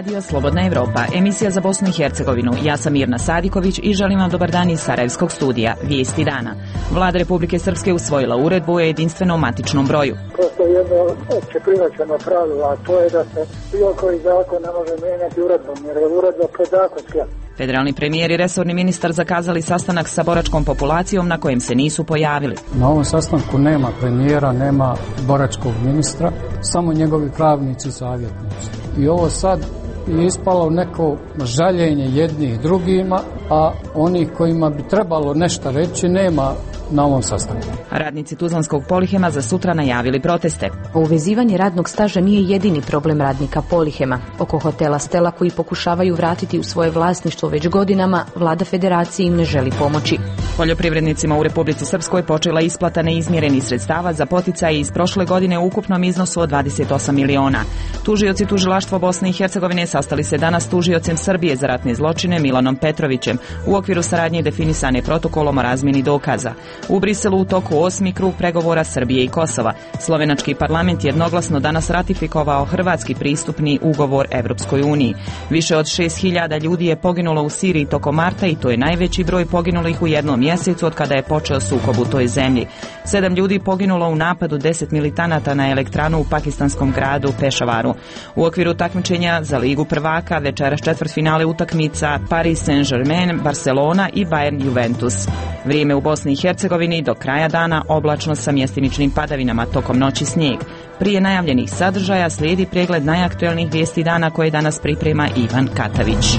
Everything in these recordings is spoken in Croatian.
Radio Slobodna Evropa, emisija za Bosnu i Hercegovinu. Ja sam Mirna Sadiković i želim vam dobar dan iz Sarajevskog studija. Vijesti dana. Vlada Republike Srpske usvojila uredbu o jedinstvenom matičnom broju. Prosto jedno opće prihvaćeno pravilo, a to je da se bilo koji zakon ne može mijenjati uredbom, jer je uredba podzakonska. Federalni premijer i resorni ministar zakazali sastanak sa boračkom populacijom na kojem se nisu pojavili. Na ovom sastanku nema premijera, nema boračkog ministra, samo njegovi pravnici i savjetnici. I ovo sad je ispalo neko žaljenje jednih drugima, a onih kojima bi trebalo nešto reći nema na ovom sastanku. Radnici Tuzlanskog Polihema za sutra najavili proteste. Uvezivanje radnog staža nije jedini problem radnika Polihema. Oko hotela Stela koji pokušavaju vratiti u svoje vlasništvo već godinama, vlada federacije im ne želi pomoći. Poljoprivrednicima u Republici Srpskoj počela isplata neizmjerenih sredstava za poticaje iz prošle godine u ukupnom iznosu od 28 miliona. Tužioci tužilaštva Bosne i Hercegovine sastali se danas s tužiocem Srbije za ratne zločine Milanom Petrovićem u okviru saradnje definisane protokolom o razmjeni dokaza. U Briselu u toku 8. krug pregovora Srbije i Kosova. Slovenački parlament jednoglasno danas ratifikovao hrvatski pristupni ugovor Evropskoj uniji. Više od 6.000 ljudi je poginulo u Siriji tokom marta i to je najveći broj poginulih u jednom mjesecu od kada je počeo sukob u toj zemlji. 7 ljudi poginulo u napadu 10 militanata na elektranu u pakistanskom gradu Pešavaru. U okviru takmičenja za Ligu prvaka večeras četvrtfinale utakmica Paris Saint-Germain, Barcelona i Bayern Juventus. Vrijeme u Bosni i Hercegovini do kraja dana oblačno sa mjestimičnim padavinama, tokom noći snijeg. Prije najavljenih sadržaja slijedi pregled najaktuelnijih vijesti dana koje danas priprema Ivan Katavić.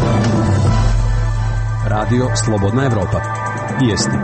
Radio Slobodna Evropa. Vijesti.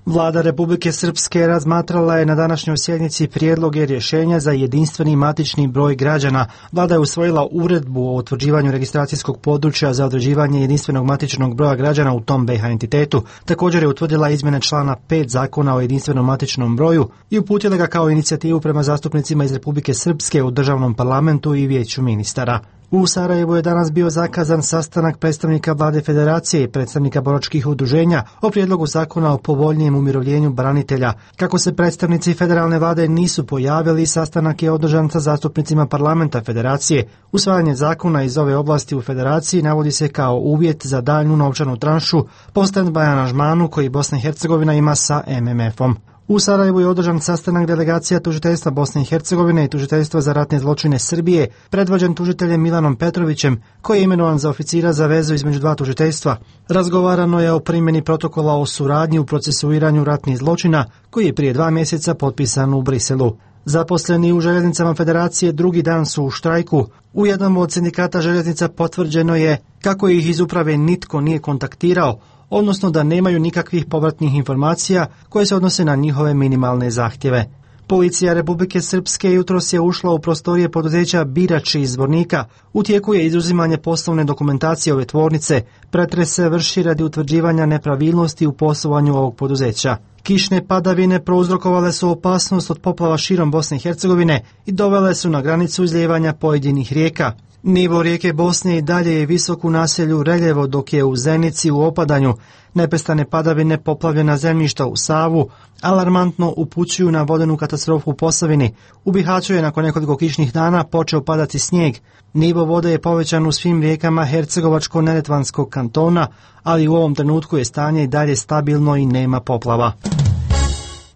Vlada Republike Srpske razmatrala je na današnjoj sjednici prijedloge rješenja za jedinstveni matični broj građana. Vlada je usvojila uredbu o utvrđivanju registracijskog područja za određivanje jedinstvenog matičnog broja građana u tom BiH entitetu. Također je utvrdila izmjene člana 5 Zakona o jedinstvenom matičnom broju i uputila ga kao inicijativu prema zastupnicima iz Republike Srpske u državnom parlamentu i vijeću ministara. U Sarajevu je danas bio zakazan sastanak predstavnika vlade federacije i predstavnika boračkih udruženja o prijedlogu zakona o povoljnijem umirovljenju branitelja. Kako se predstavnici federalne vlade nisu pojavili, sastanak je održan sa zastupnicima parlamenta federacije. Usvajanje zakona iz ove oblasti u federaciji navodi se kao uvjet za daljnju novčanu tranšu po stand-by aranžmanu koji Bosna i Hercegovina ima sa MMF-om. U Sarajevu je održan sastanak delegacija tužiteljstva Bosne i Hercegovine i tužiteljstva za ratne zločine Srbije, predvođen tužiteljem Milanom Petrovićem, koji je imenovan za oficira za vezu između dva tužiteljstva. Razgovarano je o primjeni protokola o suradnji u procesuiranju ratnih zločina, koji je prije 2 mjeseca potpisan u Briselu. Zaposleni u željeznicama federacije drugi dan su u štrajku. U jednom od sindikata željeznica potvrđeno je kako ih iz uprave nitko nije kontaktirao, odnosno da nemaju nikakvih povratnih informacija koje se odnose na njihove minimalne zahtjeve. Policija Republike Srpske jutros je ušla u prostorije poduzeća Birač iz Zvornika. U tijeku je izuzimanje poslovne dokumentacije ove tvornice. Pretres se vrši radi utvrđivanja nepravilnosti u poslovanju ovog poduzeća. Kišne padavine prouzrokovale su opasnost od poplava širom Bosne i Hercegovine i dovele su na granicu izlijevanja pojedinih rijeka. Nivo rijeke Bosne i dalje je visok u naselju Reljevo, dok je u Zenici u opadanju. Nepestane padavine, poplavljena zemljišta u Savu alarmantno upućuju na vodenu katastrofu u Posavini. U Bihaću je nakon nekoliko kišnih dana počeo padati snijeg. Nivo vode je povećan u svim rijekama Hercegovačko-Neretvanskog kantona, ali u ovom trenutku je stanje i dalje stabilno i nema poplava.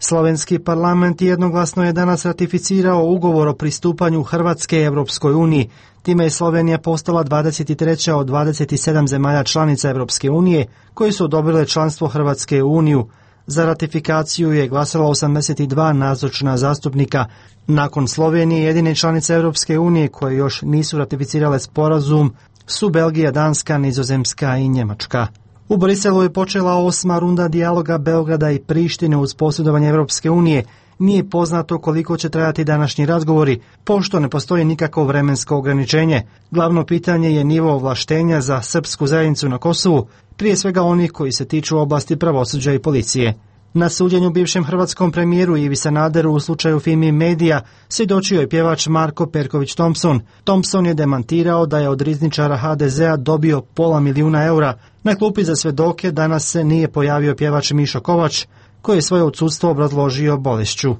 Slovenski parlament jednoglasno je danas ratificirao ugovor o pristupanju Hrvatske Evropskoj uniji. Time je Slovenija postala 23. od 27 zemalja članica Evropske unije koje su odobrile članstvo Hrvatske u Uniju. Za ratifikaciju je glasalo 82 nazočna zastupnika. Nakon Slovenije jedine članice Evropske unije koje još nisu ratificirale sporazum su Belgija, Danska, Nizozemska i Njemačka. U Briselu je počela 8. runda dijaloga Beograda i Prištine uz posredovanje Evropske unije. Nije poznato koliko će trajati današnji razgovori, pošto ne postoji nikakvo vremensko ograničenje. Glavno pitanje je nivo ovlaštenja za srpsku zajednicu na Kosovu, prije svega onih koji se tiču oblasti pravosuđa i policije. Na suđenju bivšem hrvatskom premijeru Ivi Sanaderu u slučaju Fimi Medija svjedočio je pjevač Marko Perković Thompson. Thompson je demantirao da je od rizničara HDZ-a dobio $500.000 eura. Na klupi za svjedoke danas se nije pojavio pjevač Mišo Kovač, koji je svoje odsudstvo obrazložio bolešću.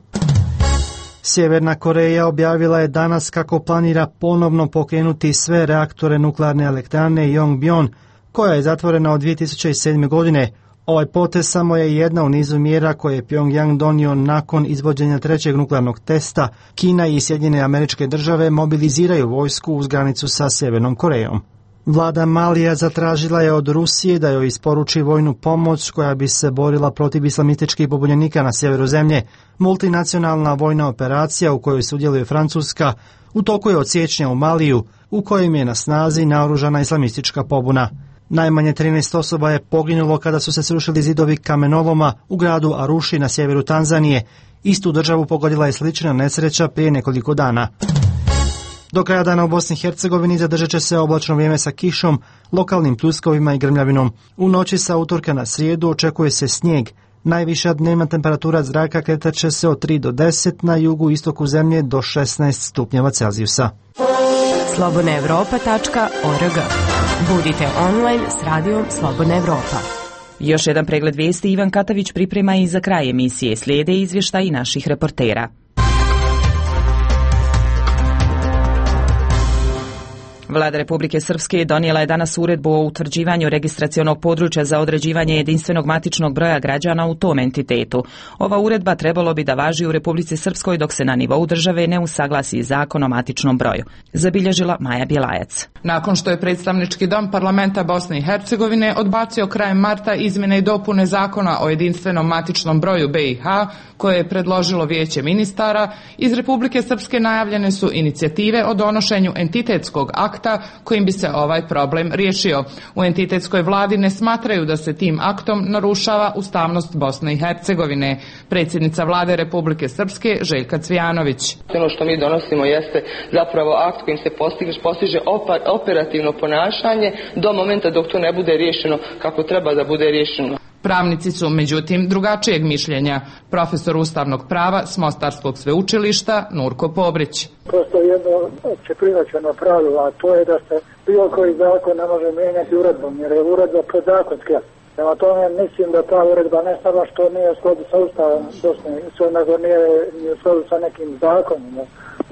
Sjeverna Koreja objavila je danas kako planira ponovno pokrenuti sve reaktore nuklearne elektrane Yongbyon, koja je zatvorena od 2007. godine. Ovaj potez samo je jedna u nizu mjera koje je Pyongyang donio nakon izvođenja trećeg nuklearnog testa. Kina i Sjedinjene Američke Države mobiliziraju vojsku uz granicu sa Sjevernom Korejom. Vlada Malija zatražila je od Rusije da joj isporuči vojnu pomoć koja bi se borila protiv islamističkih pobunjenika na sjeveru zemlje. Multinacionalna vojna operacija u kojoj sudjeluje Francuska u toku je od siječnja u Maliju, u kojem je na snazi naoružana islamistička pobuna. Najmanje 13 osoba je poginulo kada su se srušili zidovi kamenoloma u gradu Aruši na sjeveru Tanzanije. Istu državu pogodila je slična nesreća prije nekoliko dana. Do kraja dana u Bosni i Hercegovini zadržat će se oblačno vrijeme sa kišom, lokalnim pljuskovima i grmljavinom. U noći sa utorka na srijedu očekuje se snijeg. Najviša dnevna temperatura zraka kretat će se od 3 do 10, na jugu i istoku zemlje do 16 stupnjeva Celzijusa. slobodnaevropa.org. Budite online s radijom Slobodna Evropa. Još jedan pregled vijesti Ivan Katavić priprema i za kraj emisije. Slijede izvještaji naših reportera. Vlada Republike Srpske donijela je danas uredbu o utvrđivanju registracionog područja za određivanje jedinstvenog matičnog broja građana u tom entitetu. Ova uredba trebalo bi da važi u Republici Srpskoj dok se na nivou države ne usaglasi zakon o matičnom broju. Zabilježila Maja Bjelajac. Nakon što je predstavnički dom parlamenta Bosne i Hercegovine odbacio krajem marta izmjene i dopune zakona o jedinstvenom matičnom broju BiH, koje je predložilo Vijeće ministara, iz Republike Srpske najavljene su inicijative o donošenju entitetskog akta kojim bi se ovaj problem riješio. U entitetskoj vladi ne smatraju da se tim aktom narušava ustavnost Bosne i Hercegovine. Predsjednica vlade Republike Srpske Željka Cvijanović. Ono što mi donosimo jeste zapravo akt kojim se postiže operativno ponašanje do momenta dok to ne bude riješeno kako treba da bude riješeno. Pravnici su međutim drugačijeg mišljenja. Profesor ustavnog prava s Mostarskog sveučilišta Nurko Pobrić. Prosto jedno opće prihvaćeno pravilo, a to je da se bilo koji zakon ne može mijenjati uredbom, jer je uredba podzakonska. Prema tome mislim da ta uredba ne samo što nije u skladu sa Ustavom Bosne, nego nije u skladu sa nekim zakonima,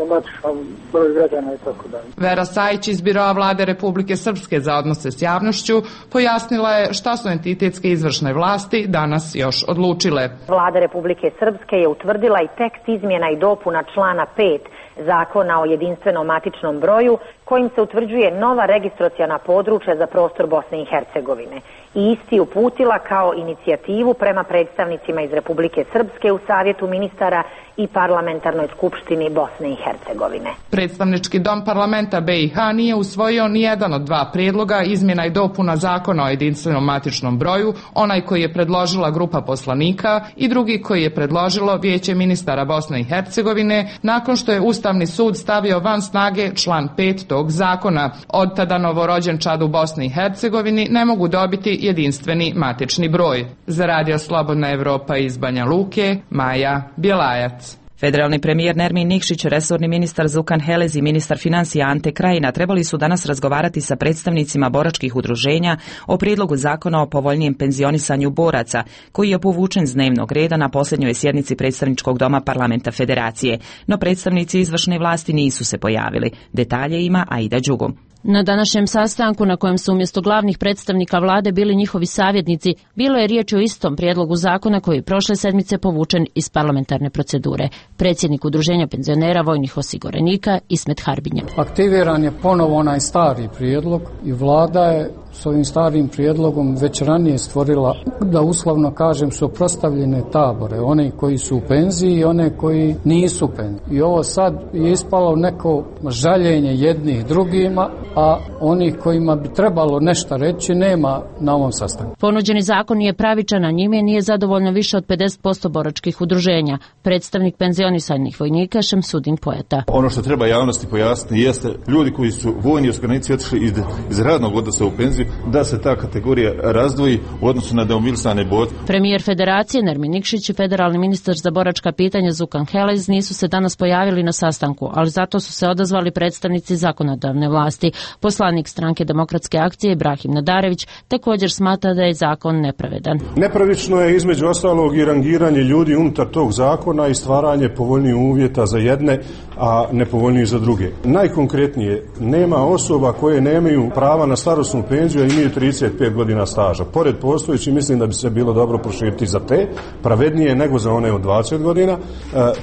matičnom broju građana i tako dalje. Vera Sajić iz Biroa vlade Republike Srpske za odnose s javnošću pojasnila je šta su entitetske izvršne vlasti danas još odlučile. Vlada Republike Srpske je utvrdila i tekst izmjena i dopuna člana 5 Zakona o jedinstvenom matičnom broju, kojim se utvrđuje nova registraciona područja za prostor Bosne i Hercegovine. I isti uputila kao inicijativu prema predstavnicima iz Republike Srpske u Savjetu ministara i Parlamentarnoj skupštini Bosne i Hercegovine. Predstavnički dom parlamenta BiH nije usvojio ni jedan od dva prijedloga izmjena i dopuna zakona o jedinstvenom matičnom broju, onaj koji je predložila grupa poslanika i drugi koji je predložilo Vijeće ministara Bosne i Hercegovine nakon što je Ustavni sud stavio van snage član 5 tog zakona. Od tada novorođenčad u Bosni i Hercegovini ne mogu dobiti jedinstveni matični broj. Za Radio Slobodna Evropa iz Banja Luke, Maja Bjelajac. Federalni premijer Nermin Nikšić, resorni ministar Zukan Helez i ministar financija Ante Krajina trebali su danas razgovarati sa predstavnicima boračkih udruženja o prijedlogu zakona o povoljnijem penzionisanju boraca, koji je povučen s dnevnog reda na posljednjoj sjednici predstavničkog doma parlamenta Federacije, no predstavnici izvršne vlasti nisu se pojavili. Detalje ima Aida Đugo. Na današnjem sastanku, na kojem su umjesto glavnih predstavnika vlade bili njihovi savjetnici, bilo je riječ o istom prijedlogu zakona koji je prošle sedmice povučen iz parlamentarne procedure. Predsjednik Udruženja penzionera vojnih osiguranika Ismet Harbinja. Aktiviran je ponovo onaj stari prijedlog i vlada je s ovim starim prijedlogom već ranije stvorila, da uslovno kažem, suprotstavljene tabore, one koji su u penziji i one koji nisu u penziji. I ovo sad je ispalo neko žaljenje jednih drugima, a onih kojima bi trebalo nešto reći nema na ovom sastanku. Ponuđeni zakon je pravičan, a njime nije zadovoljno više od 50% boračkih udruženja. Predstavnik penzionisanih vojnika Šemsudin Pojata. Ono što treba javnosti pojasniti jeste ljudi koji su vojni osiguranici otišli iz radnog odnosa u penziju, da se ta kategorija razdvoji u odnosu na demobilisane boce. Premijer Federacije Nermin Nikšić i federalni ministar za boračka pitanja Zukan Helez nisu se danas pojavili na sastanku, ali zato su se odazvali predstavnici zakonodavne vlasti. Poslanik stranke Demokratske akcije Ibrahim Nadarević također smatra da je zakon nepravedan. Nepravično je između ostalog i rangiranje ljudi unutar tog zakona i stvaranje povoljnijih uvjeta za jedne, a nepovoljnijih za druge. Najkonkretnije, nema osoba koje nemaju prava na starosnu penziju, a imaju 35 godina staža. Pored postojeći, mislim da bi se bilo dobro proširiti za te, pravednije nego za one od 20 godina.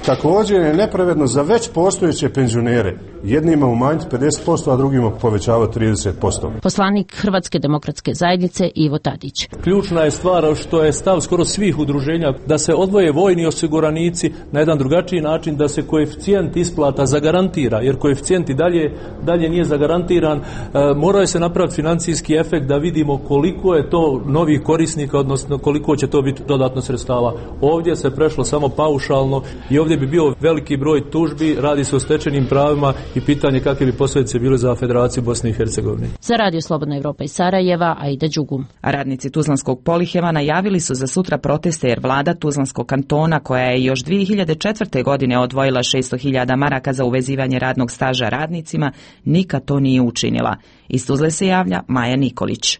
Također je nepravedno za već postojeće penzionere. Jednima umanjiti 50%, a drugima povećavati 30%. Poslanik Hrvatske demokratske zajednice Ivo Tadić. Ključna je stvar što je stav skoro svih udruženja da se odvoje vojni osiguranici na jedan drugačiji način, da se koeficijent isplata zagarantira, jer koeficijent i dalje nije zagarantiran. Morao se napraviti financijski efekt da vidimo koliko je to novih korisnika, odnosno koliko će to biti dodatno sredstava. Ovdje se prešlo samo paušalno i ovdje bi bio veliki broj tužbi, radi se o stečenim pravima i pitanje kakve bi posljedice bile za Federaciju Bosne i Hercegovine. Za Radio Slobodna Evropa iz Sarajeva, Aida Đugum. Radnici Tuzlanskog Polihema najavili su za sutra proteste jer vlada Tuzlanskog kantona, koja je još 2004. godine odvojila 600.000 maraka za uvezivanje radnog staža radnicima, nikad to nije učinila. Iz Tuzle se javlja Maja Nikolić.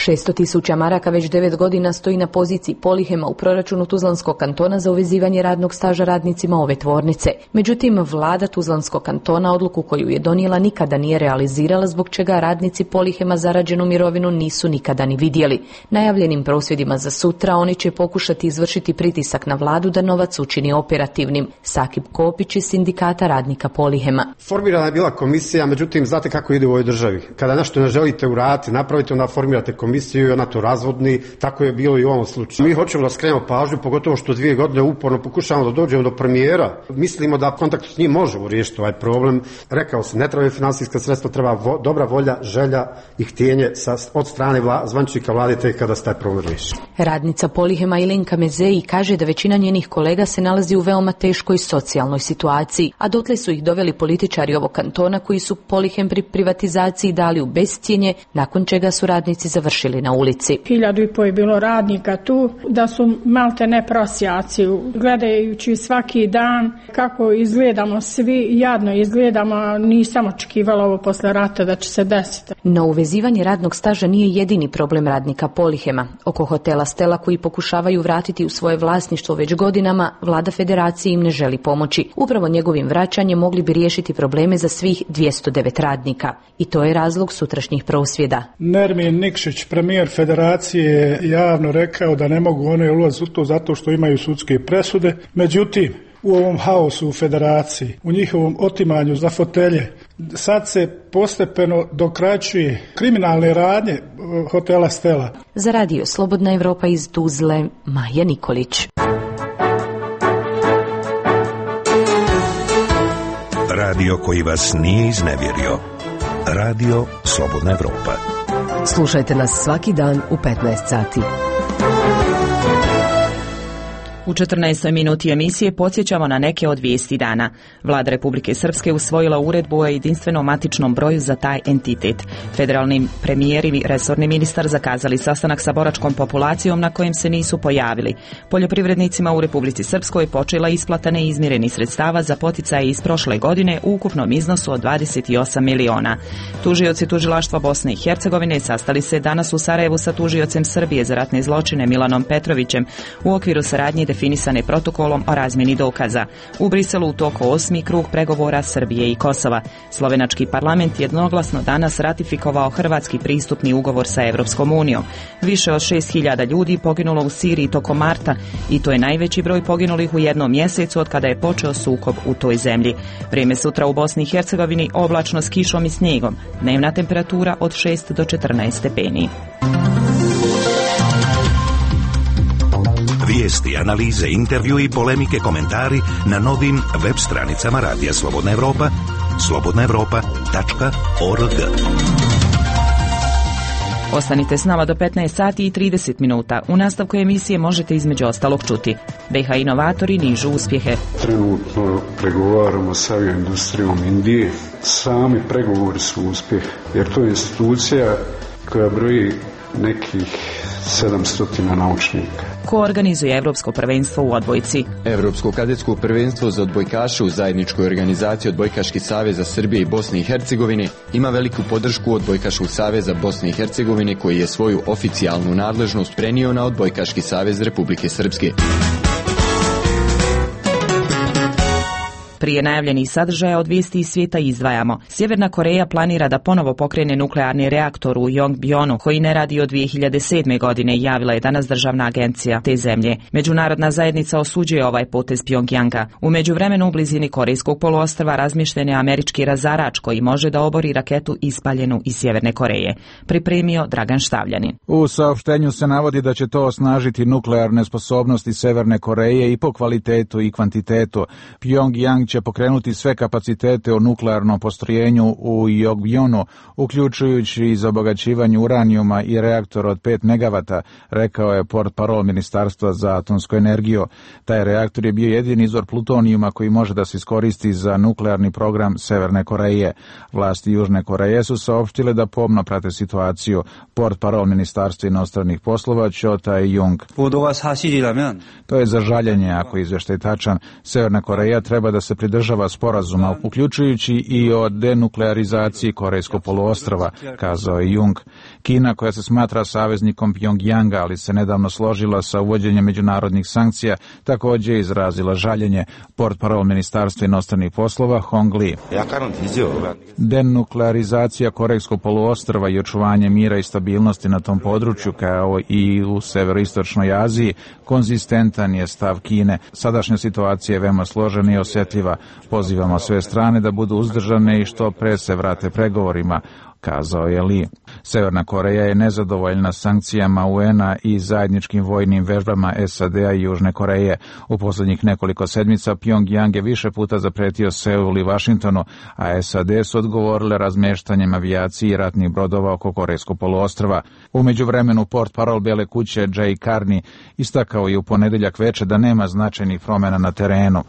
600.000 maraka već 9 godina stoji na poziciji Polihema u proračunu Tuzlanskog kantona za uvezivanje radnog staža radnicima ove tvornice. Međutim, vlada Tuzlanskog kantona odluku koju je donijela nikada nije realizirala, zbog čega radnici Polihema zarađenu mirovinu nisu nikada ni vidjeli. Najavljenim prosvjedima za sutra oni će pokušati izvršiti pritisak na vladu da novac učini operativnim. Sakib Kopić iz sindikata radnika Polihema. Formirana je bila komisija, međutim, znate kako ide u ovoj državi. Kada nešto ne želite uraditi, napravite, onda formirate komisiju i ona to razvodni, tako je bilo i u ovom slučaju. Mi hoćemo da skrenemo pažnju, pogotovo što 2 godine uporno pokušavamo da dođemo do premijera. Mislimo da kontakt s njim možemo riješiti ovaj problem. Rekao sam, ne trebaju finansijska sredstva, treba dobra volja, želja i htjenje od strane zvaničnika vlade tek kada se taj problem riješi. Radnica Polihema Ilenka Mezeji kaže da većina njenih kolega se nalazi u veoma teškoj socijalnoj situaciji, a dotle su ih doveli političari ovog kantona koji su Polihem pri privatizaciji dali u bescjenje, nakon čega su radnici završili na ulici. 1.500 je bilo radnika tu, da su malte ne prosjaci, gledajući svaki dan kako izgledamo svi, jadno izgledamo, nisam očekivala ovo posle rata da će se desiti. No uvezivanje radnog staža nije jedini problem radnika Polihema. Oko hotela Stela, koji pokušavaju vratiti u svoje vlasništvo već godinama, vlada Federacije im ne želi pomoći. Upravo njegovim vraćanjem mogli bi riješiti probleme za svih 209 radnika. I to je razlog sutrašnjih prosvjeda. Nermin Nikšić, premijer Federacije, je javno rekao da ne mogu one ulaziti u to zato što imaju sudske presude. Međutim, u ovom haosu u Federaciji, u njihovom otimanju za fotelje, sad se postepeno dokraćuje kriminalne radnje hotela Stela. Za Radio Slobodna Evropa iz Tuzle, Maja Nikolić. Radio koji vas nije iznevjerio. Radio Slobodna Evropa. Slušajte nas svaki dan u 15 sati. U 14. minuti emisije podsjećamo na neke od vijesti dana. Vlada Republike Srpske usvojila uredbu o jedinstvenom matičnom broju za taj entitet. Federalni premijer i resorni ministar zakazali sastanak sa boračkom populacijom na kojem se nisu pojavili. Poljoprivrednicima u Republici Srpskoj počela isplata neizmirenih sredstava za poticaje iz prošle godine u ukupnom iznosu od 28 miliona. Tužioci tužilaštva Bosne i Hercegovine sastali se danas u Sarajevu sa tužiocem Srbije za ratne zločine Milanom Petrovićem u okviru saradnje definisane protokolom o razmjeni dokaza. U Briselu u toku 8. krug pregovora Srbije i Kosova. Slovenački parlament jednoglasno danas ratifikovao hrvatski pristupni ugovor sa Evropskom unijom. Više od 6.000 ljudi poginulo u Siriji tokom marta i to je najveći broj poginulih u jednom mjesecu od kada je počeo sukob u toj zemlji. Vrijeme sutra u Bosni i Hercegovini oblačno s kišom i snijegom. Dnevna temperatura od 6 do 14 stepeni. Vijesti, analize, intervju i polemike, komentari na novim web stranicama Radija Slobodna Evropa, slobodnaevropa.org. Ostanite s nama do 15 sati i 30 minuta. U nastavku emisije možete između ostalog čuti. BiH inovatori nižu uspjehe. Trenutno pregovaramo sa avioindustrijom Indije. Sami pregovori su uspjeh, jer to je institucija koja broji nekih 700 naučnika. Ko organizuje Evropsko prvenstvo u odbojci? Evropsko kadetsko prvenstvo za odbojkaše u zajedničkoj organizaciji Odbojkaški saveza Srbije i Bosne i Hercegovine ima veliku podršku Odbojkaškog saveza Bosne i Hercegovine koji je svoju oficijalnu nadležnost prenio na Odbojkaški savez Republike Srpske. Prije najavljenih sadržaja od vijesti iz svijeta izdvajamo. Sjeverna Koreja planira da ponovo pokrene nuklearni reaktor u Yongbyon koji ne radi od 2007. godine, javila je danas državna agencija te zemlje. Međunarodna zajednica osuđuje ovaj potez Pjongjanga. U međuvremenu u blizini Korejskog poluostrva razmješten je američki razarač koji može da obori raketu ispaljenu iz Sjeverne Koreje. Pripremio Dragan Štavljanin. U saopštenju se navodi da će to osnažiti nuklearne sposobnosti Severne Koreje i po kvalitetu i kvantitetu. Pjongjang će pokrenuti sve kapacitete o nuklearnom postrojenju u Yongbyon, uključujući i za obogaćivanje uranijuma i reaktor od 5 megavata, rekao je portparol Ministarstva za atomsku energiju. Taj reaktor je bio jedini izvor plutonijuma koji može da se iskoristi za nuklearni program Severne Koreje. Vlasti Južne Koreje su saopštile da pomno prate situaciju. Portparol Ministarstva inostranih poslova Cho Tae-jung. To je za žaljenje ako je izvještaj tačan. Severna Koreja treba da se pridržava sporazuma, uključujući i o denuklearizaciji Korejskog poluostrva, kazao je Jung. Kina, koja se smatra saveznikom Pjongjanga, ali se nedavno složila sa uvođenjem međunarodnih sankcija, također je izrazila žaljenje. Portparol Ministarstva inostranih poslova Hong Li. Denuklearizacija Korejskog poluostrva i očuvanje mira i stabilnosti na tom području, kao i u severoistočnoj Aziji, konzistentan je stav Kine. Sadašnja situacija je veoma složena i osjetljiva. Pozivamo sve strane da budu uzdržane i što pre se vrate pregovorima, kazao je Li. Severna Koreja je nezadovoljna sankcijama UN-a i zajedničkim vojnim vežbama SAD-a i Južne Koreje. U posljednjih nekoliko sedmica Pjongjang je više puta zapretio Seul i Vašingtonu, a SAD su odgovorile razmještanjem avijacije i ratnih brodova oko Korejskog poluostrva. U međuvremenu portparol Bele kuće Jay Carney istakao je u ponedjeljak veče da nema značajnih promjena na terenu.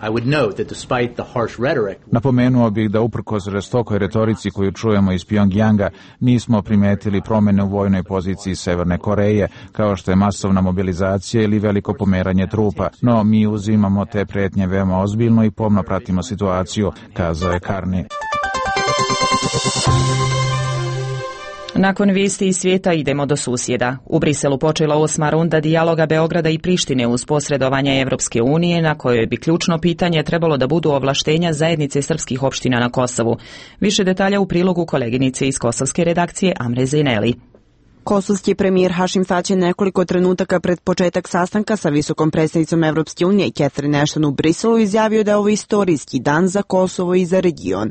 Napomenuo bih da uprkos žestokoj retorici koju čujemo iz Pjongjanga, nismo primetili promjene u vojnoj poziciji Severne Koreje, kao što je masovna mobilizacija ili veliko pomeranje trupa. No, mi uzimamo te pretnje veoma ozbiljno i pomno pratimo situaciju, kazao je Carney. Nakon vijesti iz svijeta idemo do susjeda. U Briselu počela 8. runda dijaloga Beograda i Prištine uz posredovanje Evropske unije, na kojoj bi ključno pitanje trebalo da budu ovlaštenja zajednice srpskih opština na Kosovu. Više detalja u prilogu koleginice iz kosovske redakcije Amre Zejneli. Kosovski premijer Hašim Tači je nekoliko trenutaka pred početak sastanka sa visokom predstavnicom Evropske unije Catherine Ashton u Briselu izjavio da je ovo istorijski dan za Kosovo i za region.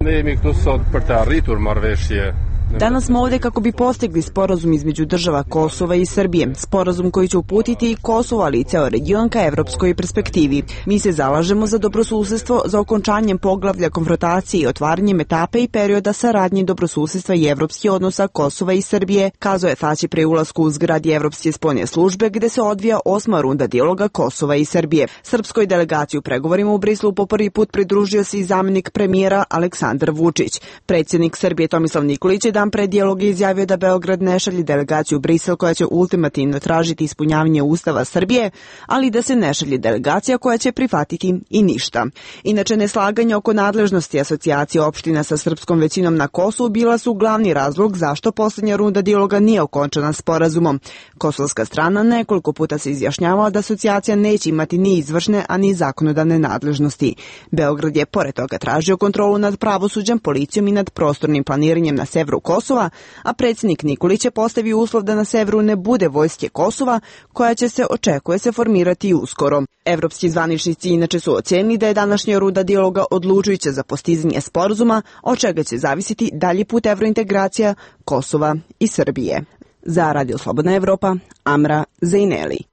Danas smo ovdje kako bi postigli sporazum između država Kosova i Srbije, sporazum koji će uputiti i Kosovo, ali i ceo region ka evropskoj perspektivi. Mi se zalažemo za dobrosusjedstvo, za okončanjem poglavlja konfrontacije i otvaranjem etape i perioda saradnje dobrosusjedstva i evropskih odnosa Kosova i Srbije, kazao je Tači pre ulasku u zgradi Evropske spoljne službe gde se odvija 8. runda dijaloga Kosova i Srbije. Srpskoj delegaciji u pregovorima u Briselu po prvi put pridružio se i zamjenik premijera Aleksandar Vučić. Predsjednik Srbije Tomislav Nikolić je dan pred dijalog izjavio da Beograd ne šalje delegaciju u Brisel koja će ultimativno tražiti ispunjavanje Ustava Srbije, ali da se ne šalje delegacija koja će prihvatiti i ništa. Inače, neslaganje oko nadležnosti asocijacije opština sa srpskom većinom na Kosovu bila su glavni razlog zašto posljednja runda dijaloga nije okončana sporazumom. Kosovska strana nekoliko puta se izjašnjavala da asocijacija neće imati ni izvršne, a ni zakonodavne nadležnosti. Beograd je pored toga tražio kontrolu nad pravosuđem, policijom i nad prostornim planiranjem na severu Kosova, a predsjednik Nikolić je postavio uslov da na severu ne bude vojske Kosova, koja će se očekuje se formirati uskoro. Evropski zvaničnici inače su ocenili da je današnja runda dijaloga odlučujuća za postizanje sporazuma, od čega će zavisiti dalji put evrointegracija Kosova i Srbije. Za Radio Slobodna Evropa, Amra Zejneli.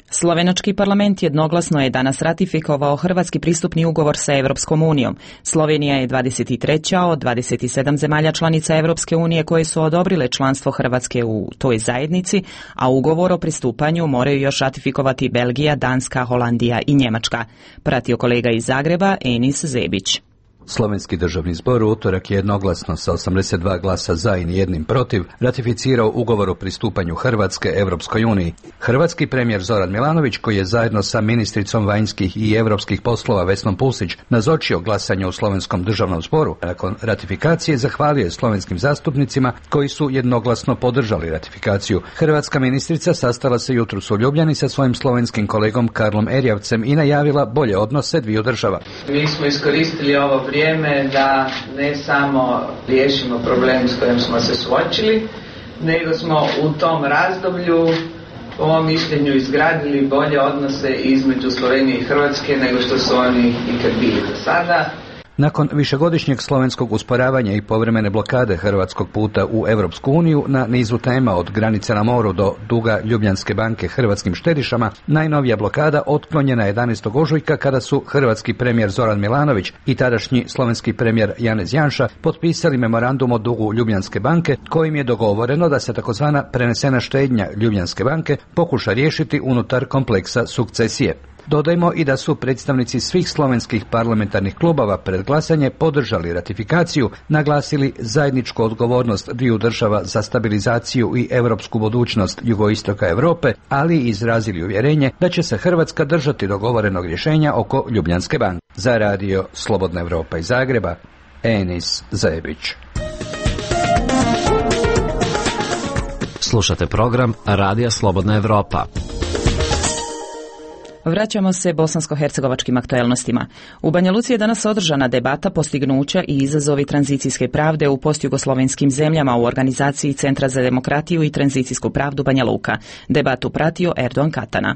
Slovenački parlament jednoglasno je danas ratifikovao hrvatski pristupni ugovor sa Evropskom unijom. Slovenija je 23. od 27 zemalja članica Evropske unije koje su odobrile članstvo Hrvatske u toj zajednici, a ugovor o pristupanju moraju još ratifikovati Belgija, Danska, Holandija i Njemačka. Pratio kolega iz Zagreba Enis Zebić. Slovenski državni zbor u utorak je jednoglasno sa 82 glasa za i nijednim protiv ratificirao ugovor o pristupanju Hrvatske Evropskoj uniji. Hrvatski premijer Zoran Milanović, koji je zajedno sa ministricom vanjskih i europskih poslova Vesnom Pusić nazočio glasanju u Slovenskom državnom zboru, nakon ratifikacije zahvalio je slovenskim zastupnicima koji su jednoglasno podržali ratifikaciju. Hrvatska ministrica sastala se jutros u Ljubljani sa svojim slovenskim kolegom Karlom Erjavcem i najavila bolje odnose dviju država. Mi smo iskoristili ovo vrijeme da ne samo riješimo problem s kojim smo se suočili, nego smo u tom razdoblju, po mom mišljenju, izgradili bolje odnose između Slovenije i Hrvatske nego što su oni ikad bili do sada. Nakon višegodišnjeg slovenskog usporavanja i povremene blokade hrvatskog puta u Europsku uniju na nizu tema od granice na moru do duga Ljubljanske banke hrvatskim štedišama, najnovija blokada otklonjena 11. ožujka kada su hrvatski premijer Zoran Milanović i tadašnji slovenski premijer Janez Janša potpisali memorandum o dugu Ljubljanske banke kojim je dogovoreno da se takozvana prenesena štednja Ljubljanske banke pokuša riješiti unutar kompleksa sukcesije. Dodajmo i da su predstavnici svih slovenskih parlamentarnih klubova pred glasanje podržali ratifikaciju, naglasili zajedničku odgovornost dviju država za stabilizaciju i europsku budućnost jugoistoka Europe, ali i izrazili uvjerenje da će se Hrvatska držati dogovorenog rješenja oko Ljubljanske banke. Za radio Slobodna Evropa iz Zagreba, Enis Zajebić. Slušate program Radija Slobodna Evropa. Vraćamo se bosansko-hercegovačkim aktuelnostima. U Banja Luci je danas održana debata postignuća i izazovi tranzicijske pravde u postjugoslovenskim zemljama u organizaciji Centra za demokratiju i tranzicijsku pravdu Banja Luka. Debatu pratio Erdogan Katana.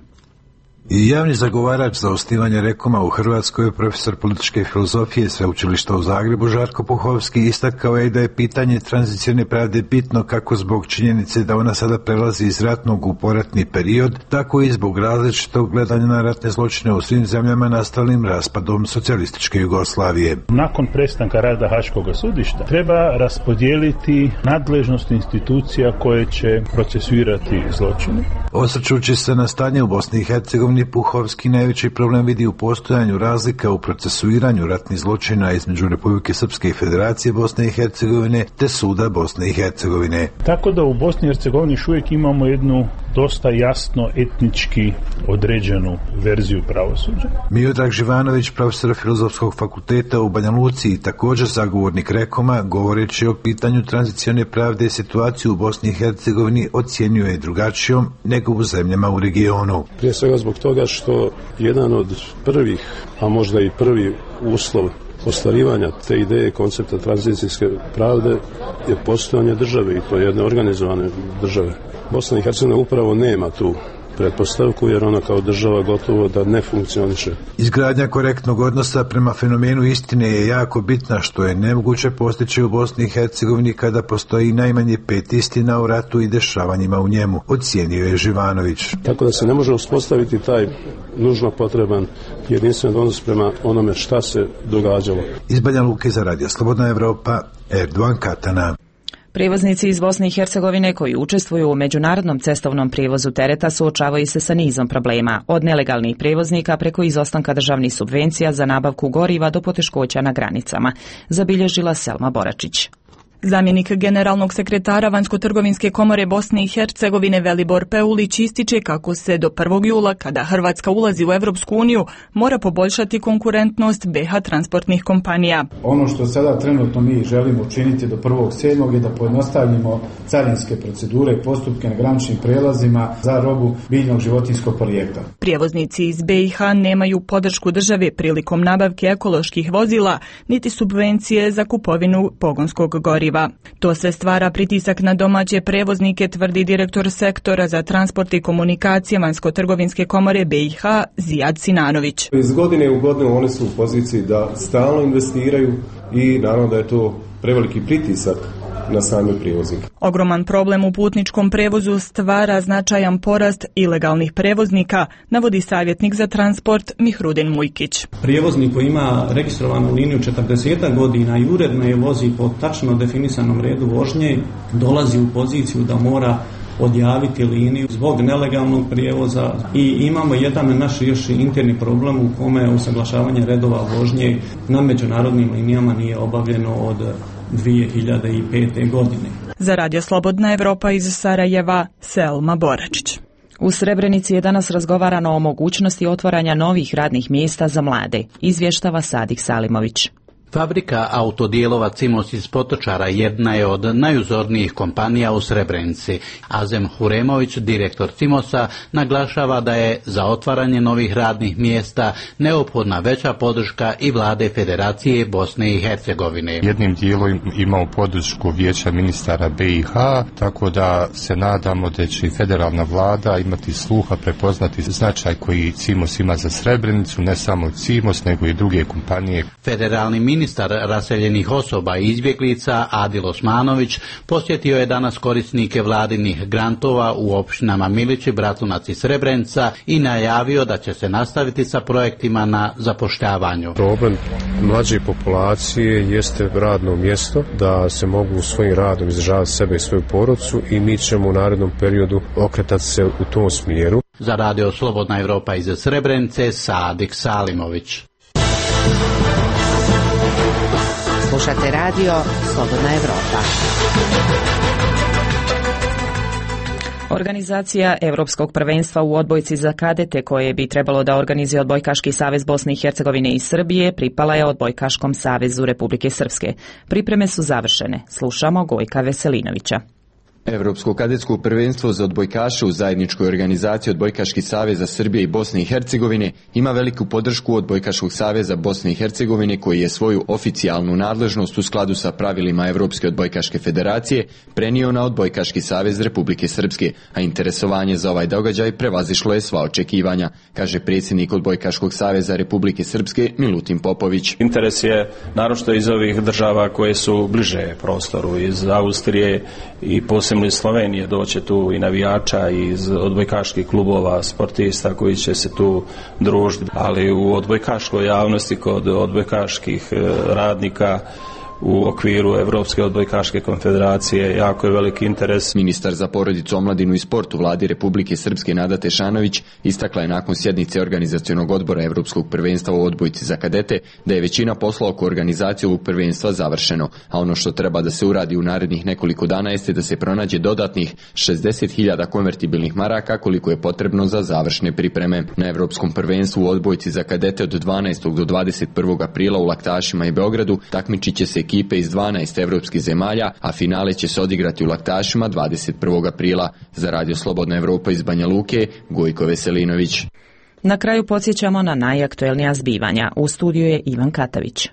I javni zagovarač za osnivanje Rekoma u Hrvatskoj, profesor političke filozofije Sveučilišta u Zagrebu Žarko Puhovski, istakao je da je pitanje tranzicijne pravde bitno kako zbog činjenice da ona sada prelazi iz ratnog u poratni period, tako i zbog različitog gledanja na ratne zločine u svim zemljama nastalim raspadom socijalističke Jugoslavije. Nakon prestanka rada Haškog sudišta treba raspodijeliti nadležnost institucija koje će procesuirati zločine. Osvrćući se na stanje u Bosni i Hercegovini, Puhovski najveći problem vidi u postojanju razlika u procesuiranju ratnih zločina između Republike Srpske i Federacije Bosne i Hercegovine te Suda Bosne i Hercegovine. Tako da u Bosni i Hercegovini još uvijek imamo jednu dosta jasno etnički određenu verziju pravosuđa. Miodrag Živanović, profesor Filozofskog fakulteta u Banja Luci i također zagovornik Rekoma, govoreći o pitanju tranzicione pravde i situaciju u Bosni i Hercegovini ocjenjuje drugačijom nego u zemljama u regionu. Prije svega zbog toga što jedan od prvih, a možda i prvi uslov ostvarivanja te ideje koncepta tranzicijske pravde je postojanje države i to jedne organizovane države. Bosna i Hercegovina upravo nema tu pretpostavku jer ona kao država gotovo da ne funkcioniše. Izgradnja korektnog odnosa prema fenomenu istine je jako bitna, što je nemoguće postići u Bosni i Hercegovini kada postoji najmanje 5 istina o ratu i dešavanjima u njemu, ocijenio je Živanović. Tako da se ne može uspostaviti taj nužno potreban jedinstven odnos prema onome šta se događalo. Iz Banja Luke za Radio Slobodna Evropa, Erdogan Katana. Prijevoznici iz Bosne i Hercegovine koji učestvuju u međunarodnom cestovnom prijevozu tereta suočavaju se sa nizom problema, od nelegalnih prijevoznika preko izostanka državnih subvencija za nabavku goriva do poteškoća na granicama, zabilježila Selma Boračić. Zamjenik generalnog sekretara Vanjsko-trgovinske komore Bosne i Hercegovine Velibor Peulić ističe kako se do 1. jula, kada Hrvatska ulazi u Evropsku uniju, mora poboljšati konkurentnost BiH transportnih kompanija. Ono što sada trenutno mi želimo učiniti do 1.7. je da pojednostavimo carinske procedure i postupke na graničnim prelazima za robu biljnog životinjskog porijekla. Prijevoznici iz BiH nemaju podršku države prilikom nabavke ekoloških vozila, niti subvencije za kupovinu pogonskog goriva. To sve stvara pritisak na domaće prevoznike, tvrdi direktor sektora za transport i komunikacije Vanjsko-trgovinske komore BiH Zijad Sinanović. Iz godine u godinu oni su u poziciji da stalno investiraju i naravno da je to preveliki pritisak na same prijevoznike. Ogroman problem u putničkom prevozu stvara značajan porast ilegalnih prevoznika, navodi savjetnik za transport Mihrudin Mujkić. Prijevoznik koji ima registrovanu liniju 40 godina i uredno je vozi po tačno definisanom redu vožnje, dolazi u poziciju da mora odjaviti liniju zbog nelegalnog prijevoza i imamo jedan naš još interni problem u kome usaglašavanje redova vožnje na međunarodnim linijama nije obavljeno od 2005. godine. Za Radio Slobodna Evropa iz Sarajeva, Selma Boračić. U Srebrenici je danas razgovarano o mogućnosti otvaranja novih radnih mjesta za mlade, izvještava Sadik Salimović. Fabrika autodijelova Cimos iz Potočara jedna je od najuzornijih kompanija u Srebrenici. Azem Huremović, direktor Cimosa, naglašava da je za otvaranje novih radnih mjesta neophodna veća podrška i vlade Federacije Bosne i Hercegovine. Jednim dijelom imamo podršku Vijeća ministara BiH, tako da se nadamo da će i federalna vlada imati sluha, prepoznati značaj koji Cimos ima za Srebrenicu, ne samo Cimos, nego i druge kompanije. Federalni ministar raseljenih osoba i izbjeglica Adil Osmanović posjetio je danas korisnike vladinih grantova u općinama Milići, Bratunac i Srebrenica i najavio da će se nastaviti sa projektima na zapošljavanju. Problem mlađe populacije jeste radno mjesto, da se mogu svojim radom izdržavati sebe i svoju porodicu i mi ćemo u narednom periodu okretati se u tom smjeru. Za Radio Slobodna Evropa iz Srebrenice, Sadik Salimović. Slušate Radio Slobodna Evropa. Organizacija Europskog prvenstva u odbojci za kadete, koje bi trebalo da organizuje Odbojkaški savez Bosne i Hercegovine i Srbije, pripala je Odbojkaškom savezu Republike Srpske. Pripreme su završene. Slušamo Gojka Veselinovića. Europsko kadetsko prvenstvo za odbojkaše u zajedničkoj organizaciji Odbojkaški saveza Srbije i Bosne i Hercegovine ima veliku podršku Odbojkaškog saveza Bosne i Hercegovine, koji je svoju oficijalnu nadležnost u skladu sa pravilima Evropske odbojkaške federacije prenio na Odbojkaški savez Republike Srpske, a interesovanje za ovaj događaj prevazišlo je sva očekivanja, kaže predsjednik Odbojkaškog saveza Republike Srpske Milutin Popović. Interes je naročito iz ovih država koje su bliže prostoru, iz Austrije i posebno iz Slovenije doće tu i navijača iz odbojkaških klubova, sportista koji će se tu družiti, ali u odbojkaškoj javnosti kod odbojkaških radnika u okviru Evropske odbojkaške konfederacije jako je veliki interes. Ministar za porodicu, omladinu i sport u vladi Republike Srpske Nada Tešanović istakla je nakon sjednice organizacionog odbora Evropskog prvenstva u odbojci za kadete da je većina posla oko organizacije ovog prvenstva završeno, a ono što treba da se uradi u narednih nekoliko dana jeste da se pronađe dodatnih 60.000 konvertibilnih maraka koliko je potrebno za završne pripreme. Na Evropskom prvenstvu u odbojci za kadete od 12. do 21. aprila u Laktašima i Beogradu takmičit će se ekipe iz 12 evropskih zemalja, a finale će se odigrati u Laktašima 21. aprila. Za Radio Slobodna Evropa iz Banja Luke, Gojko Veselinović. Na kraju podsjećamo na najaktuelnija zbivanja. U studiju je Ivan Katavić.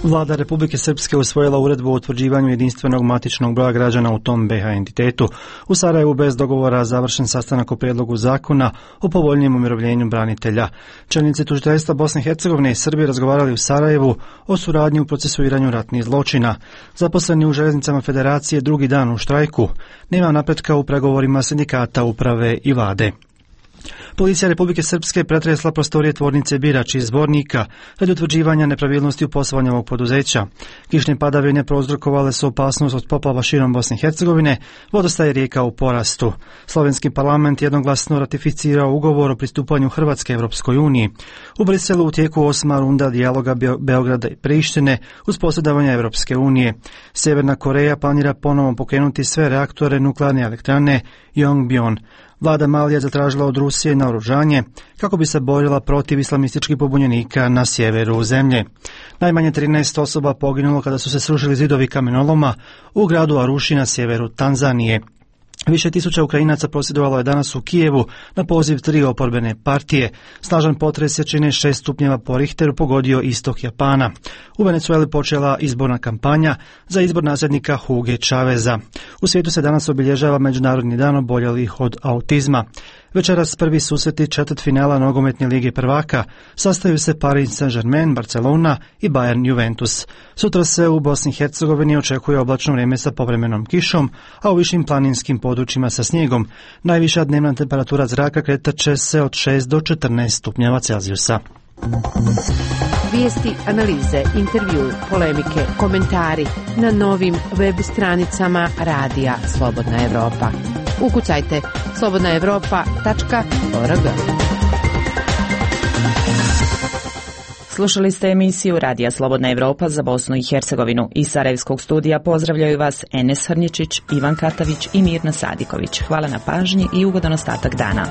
Vlada Republike Srpske usvojila uredbu o utvrđivanju jedinstvenog matičnog broja građana u tom BiH entitetu. U Sarajevu bez dogovora završen sastanak o prijedlogu zakona o povoljnijem umirovljenju branitelja. Čelnici tužiteljstva Bosne i Hercegovine i Srbije razgovarali u Sarajevu o suradnji u procesuiranju ratnih zločina. Zaposleni u željeznicama federacije drugi dan u štrajku. Nema napretka u pregovorima sindikata, uprave i vlade. Policija Republike Srpske pretresla prostorije tvornice Birač iz Zvornika radi utvrđivanja nepravilnosti u poslovanju ovog poduzeća. Kišne padavine prouzrokovale su opasnost od poplava širom Bosne i Hercegovine, vodostaj je rijeka u porastu. Slovenski parlament jednoglasno ratificirao ugovor o pristupanju Hrvatske Evropskoj uniji. U Briselu u tijeku 8. runda dijaloga Beograda i Prištine uz posredovanje Evropske unije. Sjeverna Koreja planira ponovo pokrenuti sve reaktore nuklearne elektrane Yongbyon. Vlada Malije zatražila od Rusije naoružanje kako bi se borila protiv islamističkih pobunjenika na sjeveru zemlje. Najmanje 13 osoba poginulo kada su se srušili zidovi kamenoloma u gradu Aruši na sjeveru Tanzanije. Više tisuća Ukrajinaca prosvjedovalo je danas u Kijevu na poziv 3 oporbene partije. Snažan potres jačine 6 stupnjeva po Richteru pogodio istok Japana. U Venezueli počela izborna kampanja za izbor nasljednika Huge Chaveza. U svijetu se danas obilježava Međunarodni dan oboljelih od autizma. Večeras prvi susreti četvrtfinala nogometne lige prvaka sastaju se Paris Saint-Germain, Barcelona i Bayern Juventus. Sutra se u Bosni i Hercegovini očekuje oblačno vrijeme sa povremenom kišom, a u višim planinskim područjima sa snijegom. Najviša dnevna temperatura zraka kretat će se od 6 do 14 stupnjeva Celzijusa. Vijesti, analize, intervju, polemike, komentari na novim web stranicama Radija Slobodna Evropa. Ukucajte slobodnaevropa.org. Slušali ste emisiju Radija Slobodna Evropa za Bosnu i Hercegovinu. Iz Sarajevskog studija pozdravljaju vas Enes Hrnječić, Ivan Katavić i Mirna Sadiković. Hvala na pažnji i ugodan ostatak dana.